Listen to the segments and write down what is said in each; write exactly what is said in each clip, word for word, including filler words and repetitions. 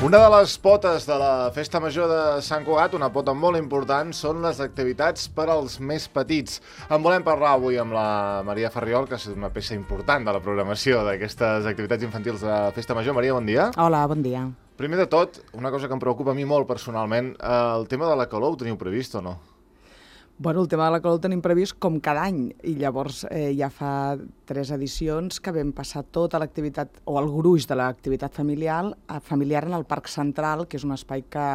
Una de les potes de la Festa Major de Sant Cugat, una pota molt important, són les activitats per als més petits. En volem parlar avui amb la Maria Ferriol, que és una peça important de la programació d'aquestes activitats infantils de la Festa Major. Maria, bon dia. Hola, bon dia. Primer de tot, una cosa que em preocupa a mi molt personalment, el tema de la calor ho teniu previst o no? Bueno, el tema de la calor el tenim previst com cada any, i llavors eh, ja fa tres edicions que vam passar tota l'activitat, o el gruix de l'activitat familiar, familiar en el Parc Central, que és un espai que,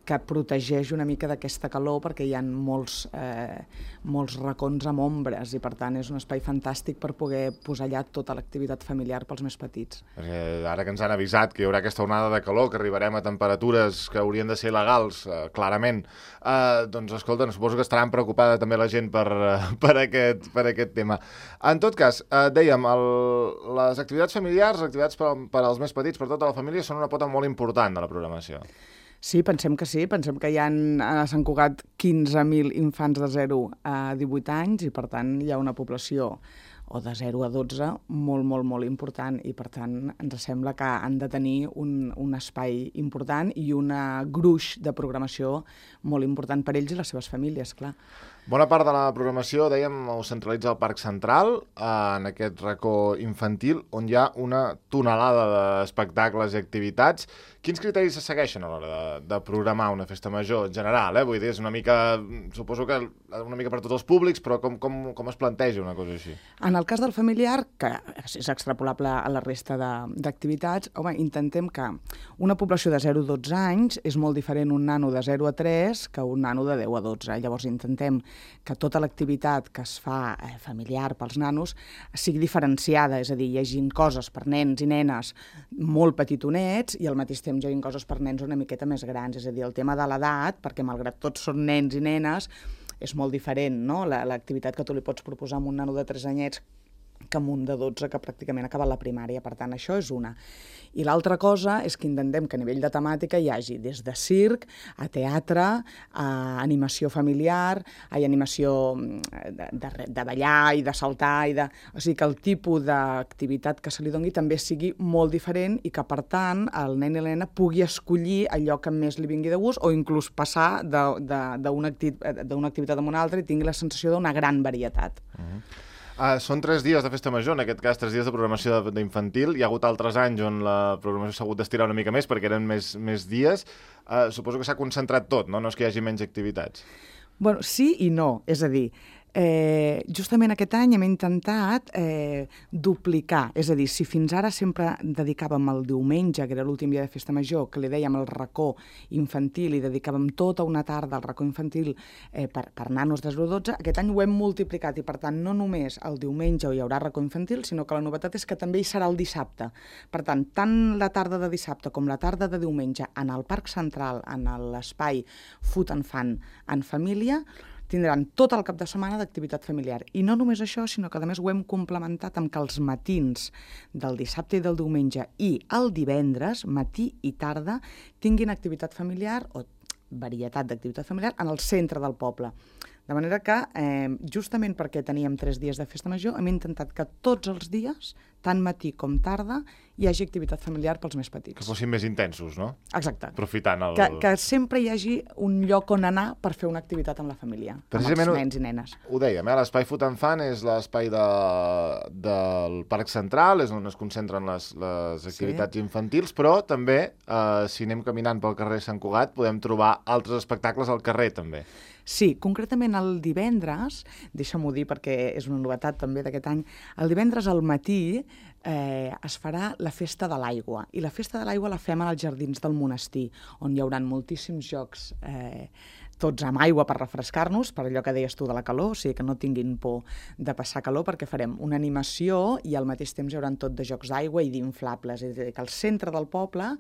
que protegeix una mica d'aquesta calor, perquè hi ha molts, eh, molts racons amb ombres, i per tant és un espai fantàstic per poder posar allà tota l'activitat familiar pels més petits. Perquè ara que ens han avisat que hi haurà aquesta onada de calor, que arribarem a temperatures que haurien de ser legals, eh, clarament, eh, doncs escolta, suposo que estaran preocupada també la gent per, per, aquest, per aquest tema. En tot cas, eh, dèiem, el, les activitats familiars, les activitats per, per als més petits, per tota la família, són una pota molt important de la programació. Sí, pensem que sí. Pensem que hi ha a Sant Cugat quinze mil infants de zero a divuit anys i, per tant, hi ha una població o de zero a dotze molt, molt, molt important, i, per tant, ens sembla que han de tenir un, un espai important i una gruix de programació molt important per ells i les seves famílies, clar. Bona part de la programació, dèiem, ho centralitza al Parc Central, eh, en aquest racó infantil, on hi ha una tonelada d'espectacles i activitats. Quins criteris se segueixen a l'hora de, de programar una festa major en general? Eh? Vull dir, és una mica, suposo que una mica per tots els públics, però com, com, com es planteja una cosa així? En el cas del familiar, que és extrapolable a la resta d'activitats, home, intentem que una població de zero a dotze anys és molt diferent un nano de zero a tres que un nano de deu a dotze. Llavors intentem que tota l'activitat que es fa eh, familiar pels nanos sigui diferenciada, és a dir, hi hagi coses per nens i nenes molt petitonets i al mateix temps hi hagi coses per nens una miqueta més grans, és a dir, el tema de l'edat, perquè malgrat tots són nens i nenes, és molt diferent, no?, l'activitat que tu li pots proposar a un nano de tres anyets que amb un de dotze que pràcticament ha acabat la primària. Per tant, això és una. I l'altra cosa és que intentem que a nivell de temàtica hi hagi des de circ a teatre, a animació familiar, a animació de, de, de ballar i de saltar, i de... o sigui que el tipus d'activitat que se li doni també sigui molt diferent i que, per tant, el nen i la nena pugui escollir allò que més li vingui de gust o inclús passar d'una activitat a una altra i tingui la sensació d'una gran varietat. Uh-huh. Uh, són tres dies de festa major, en aquest cas tres dies de programació d'infantil. Hi ha hagut altres anys on la programació s'ha hagut d'estirar una mica més perquè eren més, més dies. Uh, suposo que s'ha concentrat tot, no? No és que hi hagi menys activitats. Bueno, sí i no. És a dir, eh, justament aquest any hem intentat eh, duplicar. És a dir, si fins ara sempre dedicàvem el diumenge, que era l'últim dia de festa major, que li dèiem el racó infantil i dedicàvem tota una tarda al racó infantil eh, per, per nanos de zero a dotze, aquest any ho hem multiplicat i, per tant, no només el diumenge hi haurà racó infantil, sinó que la novetat és que també hi serà el dissabte. Per tant, tant la tarda de dissabte com la tarda de diumenge en el Parc Central, en l'espai Food and Fun en família, tindran tot el cap de setmana d'activitat familiar. I no només això, sinó que a més ho hem complementat amb que els matins del dissabte i del diumenge i el divendres, matí i tarda, tinguin activitat familiar o varietat d'activitat familiar en el centre del poble. De manera que, eh, justament perquè teníem tres dies de festa major, hem intentat que tots els dies, tant matí com tarda, hi hagi activitat familiar pels més petits. Que fossin més intensos, no? Exacte. Aprofitant el... Que, que sempre hi hagi un lloc on anar per fer una activitat amb la família, amb els nens i nenes. Ho dèiem, eh? L'espai Food and Fun és l'espai de, del Parc Central, és on es concentren les, les activitats sí. infantils, però també, eh, si anem caminant pel carrer Sant Cugat, podem trobar altres espectacles al carrer, també. Sí, concretament el divendres, deixa'm-ho dir perquè és una novetat també d'aquest any, el divendres al matí eh, es farà la Festa de l'Aigua, i la Festa de l'Aigua la fem als jardins del monestir, on hi haurà moltíssims jocs, eh, tots amb aigua per refrescar-nos, per allò que deies tu de la calor, o sigui que no tinguin por de passar calor, perquè farem una animació i al mateix temps hi haurà tot de jocs d'aigua i d'inflables, és a dir, que al centre del poble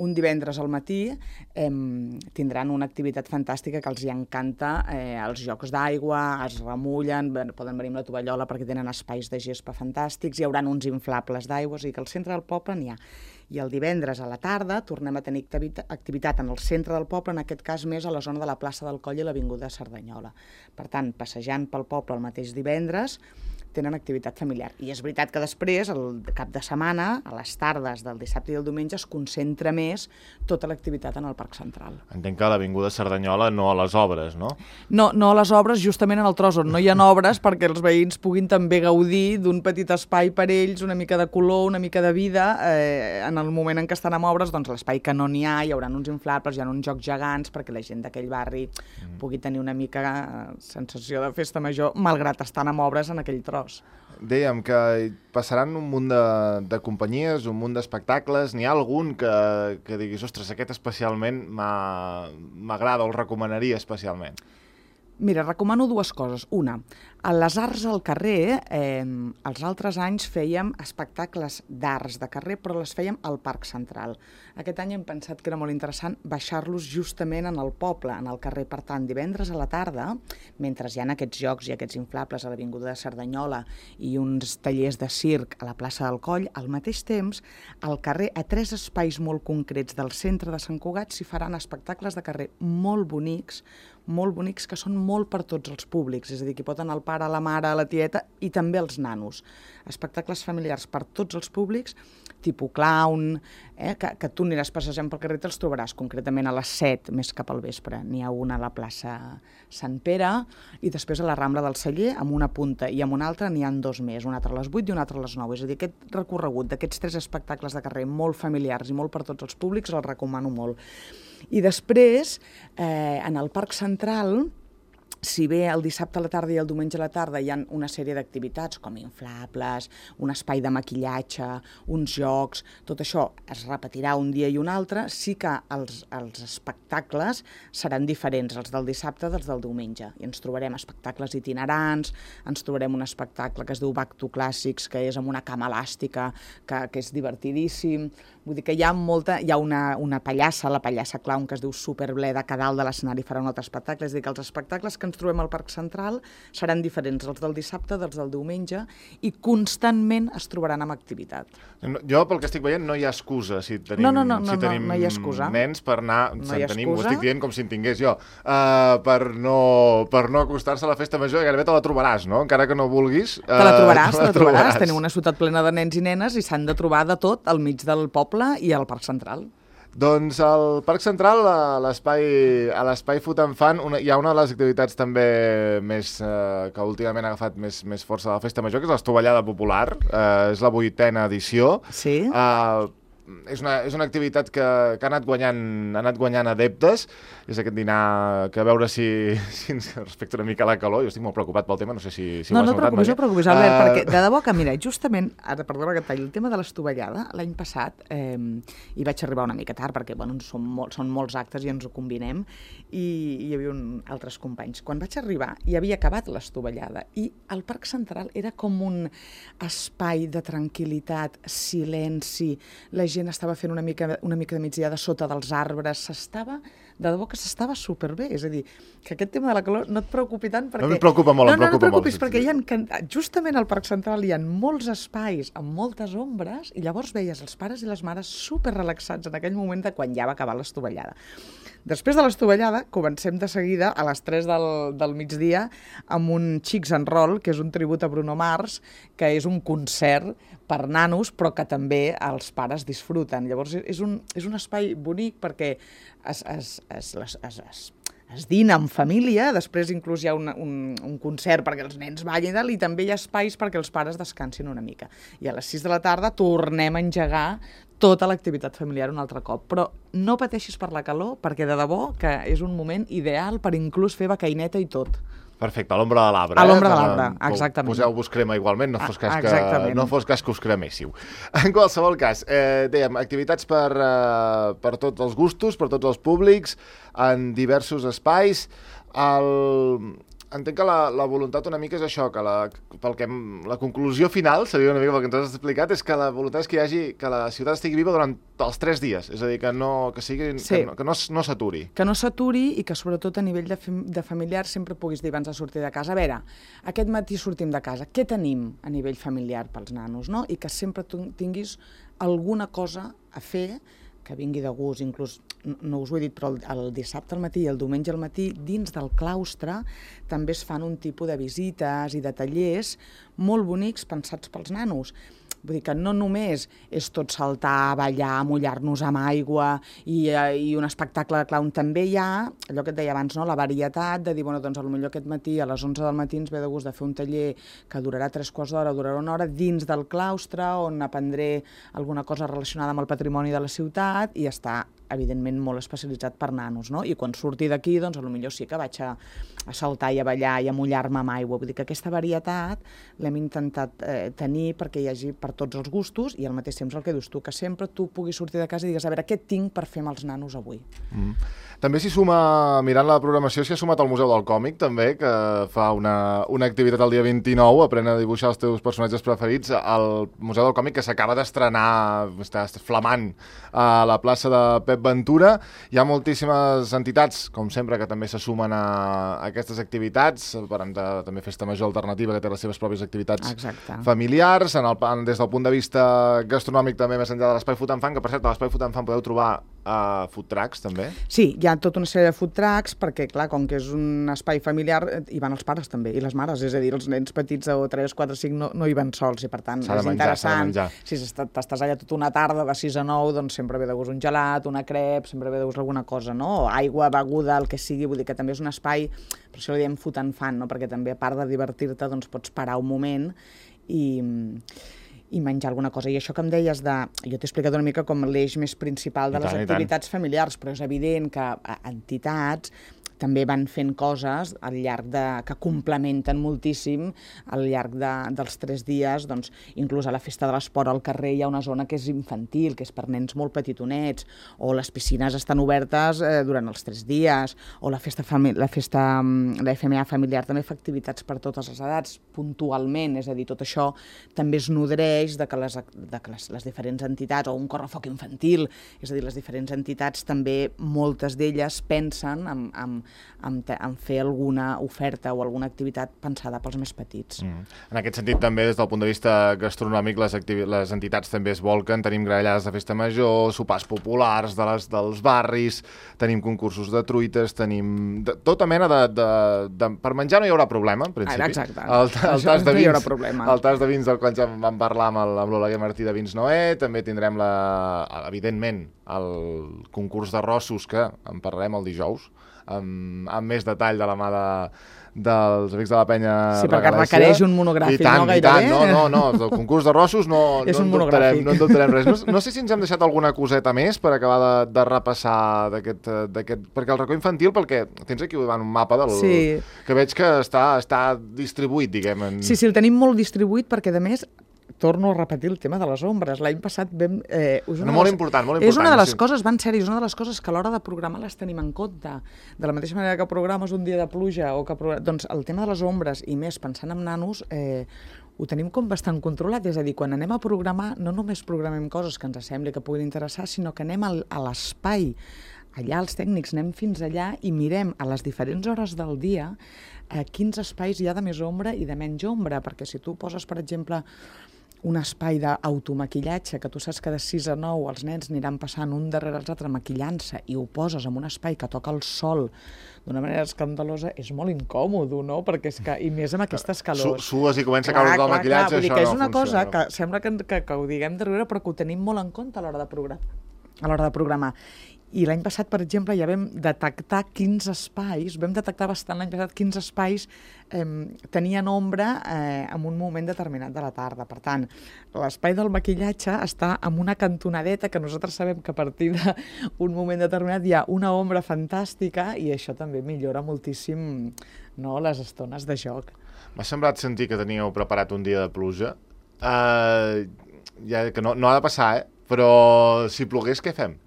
un divendres al matí eh, tindran una activitat fantàstica que els hi encanta, eh, els jocs d'aigua, es remullen, poden venir amb la tovallola perquè tenen espais de gespa fantàstics, hi haurà uns inflables d'aigua, o sigui que al centre del poble n'hi ha. I el divendres a la tarda tornem a tenir activitat en el centre del poble, en aquest cas més a la zona de la plaça del Coll i l'avinguda Cerdanyola. Per tant, passejant pel poble el mateix divendres, tenen activitat familiar. I és veritat que després, el cap de setmana, a les tardes del dissabte i el diumenge, es concentra més tota l'activitat en el Parc Central. Entenc que a l'avinguda Cerdanyola no a les obres, no? No, no a les obres, justament en el tros on no hi ha obres, perquè els veïns puguin també gaudir d'un petit espai per ells, una mica de color, una mica de vida. Eh, en el moment en què estan amb obres, doncs l'espai que no n'hi ha, hi haurà uns inflables, hi ha uns jocs gegants, perquè la gent d'aquell barri mm. pugui tenir una mica eh, sensació de festa major, malgrat estan amb obres en aquell tros. Dèiem que passaran un munt de, de companyies, un munt d'espectacles. N'hi ha algun que, que diguis, ostres, aquest especialment m'agrada o el recomanaria especialment? Mira, recomano dues coses. Una, a les arts al carrer, eh, els altres anys fèiem espectacles d'arts de carrer, però les fèiem al Parc Central. Aquest any hem pensat que era molt interessant baixar-los justament en el poble, en el carrer. Per tant, divendres a la tarda, mentre hi ha aquests jocs i aquests inflables a l'avinguda de Cerdanyola i uns tallers de circ a la plaça del Coll, al mateix temps, al carrer, a tres espais molt concrets del centre de Sant Cugat, s'hi faran espectacles de carrer molt bonics, molt bonics, que són molt per tots els públics, és a dir, que hi pot anar el pare, la mare, la tieta i també els nanos. Espectacles familiars per tots els públics, tipus clown, eh, que, que tu aniràs passejant pel carrer i te'ls trobaràs, concretament a les set, més cap al vespre. N'hi ha una a la plaça Sant Pere i després a la Rambla del Celler, amb una punta i amb una altra n'hi ha dos més, un altre a les vuit i un altre a les nou. És a dir, aquest recorregut d'aquests tres espectacles de carrer molt familiars i molt per tots els públics el recomano molt. I després, eh, en el Parc Central, si bé el dissabte a la tarda i el diumenge a la tarda hi ha una sèrie d'activitats com inflables, un espai de maquillatge, uns jocs, tot això es repetirà un dia i un altre, sí que els, els espectacles seran diferents, els del dissabte dels del diumenge. I ens trobarem espectacles itinerants, ens trobarem un espectacle que es diu Back to Classics, que és amb una cama elàstica, que, que és divertidíssim. Vull dir que hi ha molta, hi ha una, una pallassa, la pallassa clown, que es diu Superbleda, que a dalt de l'escenari farà un altre espectacle. És a dir, que els espectacles que ens trobem al Parc Central seran diferents, els del dissabte, dels del diumenge, i constantment es trobaran amb activitat. Jo, pel que estic veient, no hi ha excusa si tenim, no, no, no, si no, tenim no hi ha excusa. nens per anar, no se'n tenim, ho excusa. estic dient com si en tingués jo, uh, per no, per no acostar-se a la festa major, i gairebé te la trobaràs, no? Encara que no vulguis. Uh, te la trobaràs, te te la la trobaràs. trobaràs. Tenim una ciutat plena de nens i nenes i s'han de trobar de tot al mig del poble i al Parc Central. Doncs al Parc Central, a l'espai a l'espai Food and Fun, una, hi ha una de les activitats també més, eh, que últimament ha agafat més, més força de la festa major, que és l'estovallada popular. Eh, és la vuitena edició. Sí. Eh, és, una, és una activitat que, que ha anat guanyant, ha anat guanyant adeptes. És aquest dinar que a veure si, si ens respecta una mica la calor. Jo estic molt preocupat pel tema, no sé si, si no, ho has no notat. Preocupis, no preocupis, Albert, uh... perquè de debò que, mira, justament, ara perdona que talli, el tema de l'estovallada, l'any passat, eh, hi vaig arribar una mica tard, perquè bueno, són, molt, són molts actes i ens ho combinem, i hi havia un, altres companys. Quan vaig arribar, hi havia acabat l'estovallada, i el Parc Central era com un espai de tranquil·litat, silenci, la gent estava fent una mica, una mica de migdiada sota dels arbres, s'estava... de debò que s'estava superbé, és a dir, que aquest tema de la calor no et preocupi tant perquè... No em preocupa molt, no, em preocupa no, no preocupis, molt. perquè hi ha, justament al Parc Central hi ha molts espais amb moltes ombres i llavors veies els pares i les mares super relaxats en aquell moment de quan ja va acabar l'estovallada. Després de l'estovallada, comencem de seguida a les tres del, del migdia amb un Chicks and Roll, que és un tribut a Bruno Mars, que és un concert per nanos, però que també els pares disfruten. Llavors és un, és un espai bonic perquè es, es, es, es, es, es, es dina en família, després inclús hi ha un, un, un concert perquè els nens ballin i també hi ha espais perquè els pares descansin una mica. I a les sis de la tarda tornem a engegar tota l'activitat familiar un altre cop. Però no pateixis per la calor, perquè de debò que és un moment ideal per inclús fer becaineta i tot. Perfecte, a l'ombra de l'arbre. A l'ombra eh? de l'arbre, exactament. Poseu-vos crema igualment, no fos cas que, exactament. no fos cas que us creméssiu. En qualsevol cas, eh, dèiem, activitats per, eh, per tots els gustos, per tots els públics, en diversos espais. El... entenc que la, la voluntat una mica és això, que la, pel que, la conclusió final, seria una mica pel que ens has explicat, és que la voluntat és que hi hagi, que la ciutat estigui viva durant els tres dies, és a dir, que no, que sigui, sí. que no, que no, no s'aturi. Que no s'aturi i que sobretot a nivell de, de familiar sempre puguis dir abans de sortir de casa, a veure, aquest matí sortim de casa, què tenim a nivell familiar pels nanos, no? I que sempre tinguis alguna cosa a fer que vingui de gust, inclús, no us ho he dit, però el, el dissabte al matí i el diumenge al matí, dins del claustre, també es fan un tipus de visites i de tallers molt bonics pensats pels nanos. Vull dir que no només és tot saltar, ballar, mullar-nos amb aigua i, i un espectacle de clown. També hi ha, allò que et deia abans, no? La varietat de dir, bueno, doncs potser aquest matí a les onze del matí ens ve de gust de fer un taller que durarà tres quarts d'hora, durarà una hora, dins del claustre, on aprendré alguna cosa relacionada amb el patrimoni de la ciutat i està evidentment molt especialitzat per nanos, no? I quan surti d'aquí, doncs, potser sí que vaig a, a saltar i a ballar i a mullar-me amb aigua. Vull dir que aquesta varietat l'hem intentat eh, tenir perquè hi hagi per tots els gustos i al mateix temps el que dius tu, que sempre tu puguis sortir de casa i digues, a veure, què tinc per fer amb els nanos avui? Mm. També s'hi suma, mirant la programació, s'hi ha sumat al Museu del Còmic, també, que fa una, una activitat el dia vint-i-nou, aprèn a dibuixar els teus personatges preferits, al Museu del Còmic, que s'acaba d'estrenar, està flamant, a la plaça de Pep Ventura. Hi ha moltíssimes entitats, com sempre, que també se sumen a, a aquestes activitats. Parlem de també Festa Major Alternativa, que té les seves pròpies activitats Exacte. familiars. En el, en, des del punt de vista gastronòmic, també més enllà de l'Espai Food and Fun, que per cert, a l'Espai Food and Fun podeu trobar uh, food trucks, també. Sí, hi ha tota una sèrie de food trucks, perquè, clar, com que és un espai familiar, hi van els pares també, i les mares, és a dir, els nens petits de tres, quatre, cinc no, no hi van sols, i per tant és menjar, interessant. Si t'estàs allà tota una tarda de sis a nou, doncs sempre ve de gust un gelat, una crep, sempre ve de gust alguna cosa, no? Aigua, beguda, el que sigui, vull dir que també és un espai, per això li diem food and fun, no? Perquè també, a part de divertir-te, doncs pots parar un moment i, i menjar alguna cosa. I això que em deies de... Jo t'he explicat una mica com l'eix més principal de I les tant, activitats familiars, però és evident que entitats també van fent coses al llarg de... que complementen moltíssim al llarg de, dels tres dies, doncs, inclús a la festa de l'esport al carrer hi ha una zona que és infantil, que és per nens molt petitonets, o les piscines estan obertes eh, durant els tres dies, o la festa, la festa, la F M A familiar també fa activitats per totes les edats, puntualment, és a dir, tot això també es nodreix de que les, de que les, les diferents entitats, o un correfoc infantil, és a dir, les diferents entitats també, moltes d'elles pensen en, en En, en fer alguna oferta o alguna activitat pensada pels més petits. Mm. En aquest sentit, també, des del punt de vista gastronòmic, les, les entitats també es volquen. Tenim grallades de festa major, sopars populars de les, dels barris, tenim concursos de truites, tenim de, tota mena de, de, de... Per menjar no hi haurà problema, en principi. Ah, exacte. El, el, el tas de vins, no hi haurà problema. El tas de vins del qual ja vam parlar amb, el, amb l'Oleguer Martí de Vins Noé. També tindrem, la, evidentment, el concurs d'arrossos, que en parlarem el dijous, amb, amb més detall de la mà de, dels amics de la penya Sí, perquè Regalècia. requereix un monogràfic, I tant, no? I tant, no, no, no, el concurs de rossos no, és no, un en dubtarem, monogràfic. no en dubtarem res. No, no sé si ens hem deixat alguna coseta més per acabar de, de repassar d'aquest, d'aquest... Perquè el racó infantil, perquè tens aquí un mapa del... Sí. que veig que està, està distribuït, diguem. En... Sí, sí, el tenim molt distribuït perquè, a més, torno a repetir el tema de les ombres. L'any passat vam... Eh, és no, molt les, important, molt important. És una de les sí. coses, van ser, és una de les coses que a l'hora de programar les tenim en compte. De la mateixa manera que programes un dia de pluja o que programes... Doncs el tema de les ombres, i més pensant en nanos, eh, ho tenim com bastant controlat. És a dir, quan anem a programar, no només programem coses que ens sembli que puguin interessar, sinó que anem al, a l'espai. Allà els tècnics anem fins allà i mirem a les diferents hores del dia eh, quins espais hi ha de més ombra i de menys ombra, perquè si tu poses, per exemple, un espai d'automaquillatge, que tu saps que de sis a nou els nens aniran passant un darrere els altres maquillant-se i ho poses en un espai que toca el sol d'una manera escandalosa, és molt incòmode, no? Perquè és que, i més amb aquestes calors. Su Sues i comença a caure tot el maquillatge, clar, això que no és una funciona. cosa que sembla que, que, que ho diguem de riure, però que ho tenim molt en compte a l'hora de programar. A l'hora de programar. I l'any passat, per exemple, ja vam detectar quins espais, vam detectar bastant l'any passat quins espais eh, tenien ombra eh, en un moment determinat de la tarda. Per tant, l'espai del maquillatge està en una cantonadeta que nosaltres sabem que a partir d'un moment determinat hi ha una ombra fantàstica i això també millora moltíssim, no, les estones de joc. M'ha semblat sentir que teníeu preparat un dia de pluja. Uh, ja, que no, no ha de passar, eh? Però si plogués, què fem?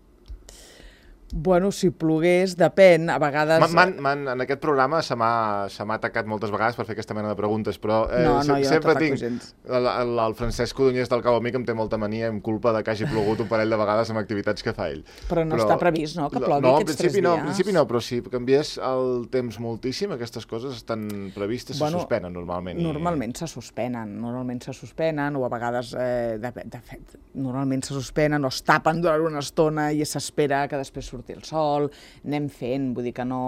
Bueno, si plogués, depèn, a vegades... Man, man, en aquest programa se m'ha atacat moltes vegades per fer aquesta mena de preguntes, però eh, no, no, se, jo sempre no tinc... gens. El, el, el Francesc Codonyés del Cabo Amic em té molta mania i em culpa de que hagi plogut un parell de vegades amb activitats que fa ell. Però no però, està previst, no?, que plogui no, aquests tres dies. No, en principi no, però si canviés el temps moltíssim, aquestes coses estan previstes, bueno, se suspenen normalment. I... Normalment se suspenen, normalment se suspenen, o a vegades, eh, de, de fet, normalment se suspenen o es tapen durant una estona i s'espera que després surti el sol, anem fent, vull dir que no...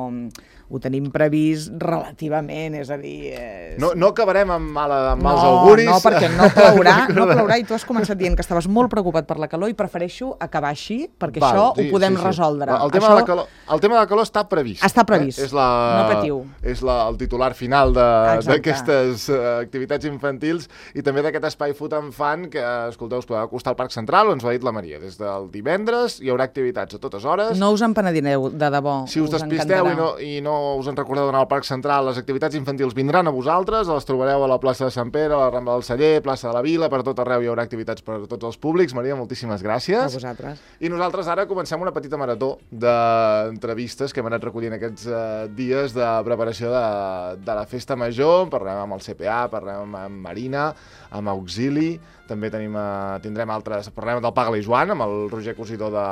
Ho tenim previst relativament, és a dir... És... No, no acabarem amb, mala, amb no, mals auguris. No, perquè no plourà, no plourà, i tu has començat dient que estaves molt preocupat per la calor i prefereixo acabar així, perquè Val, això sí, ho podem sí, sí. resoldre. El tema, això... de la calor, el tema de la calor està previst. Està previst, eh? és la, no patiu. És la, el titular final d'aquestes uh, activitats infantils i també d'aquest espai Food and Fun que, escolteu, us podeu acostar al Parc Central, ens ho ha dit la Maria. Des del divendres hi haurà activitats a totes hores. No us en penedireu, de debò. Si us, us despisteu i no, i no us en recordeu d'anar al Parc Central, les activitats infantils vindran a vosaltres, les trobareu a la plaça de Sant Pere, a la Rambla del Celler, plaça de la Vila, per tot arreu hi haurà activitats per a tots els públics. Maria, moltíssimes gràcies. A vosaltres. I nosaltres ara comencem una petita marató d'entrevistes que hem anat recollint aquests uh, dies de preparació de, de la Festa Major. Parlarem amb el C P A, parlarem amb Marina, amb Auxili, també tenim, uh, tindrem altres... Parlarem del Paga-li Joan, amb el Roger Cosidor de,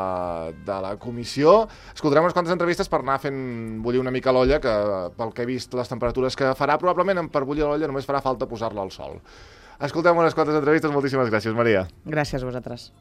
de la comissió. Escoltarem unes quantes entrevistes per anar fent bullir una mica l'olla, que pel que he vist les temperatures que farà, probablement per bullir l'olla només farà falta posar-la al sol. Escoltem unes quantes entrevistes. Moltíssimes gràcies, Maria. Gràcies a vosaltres.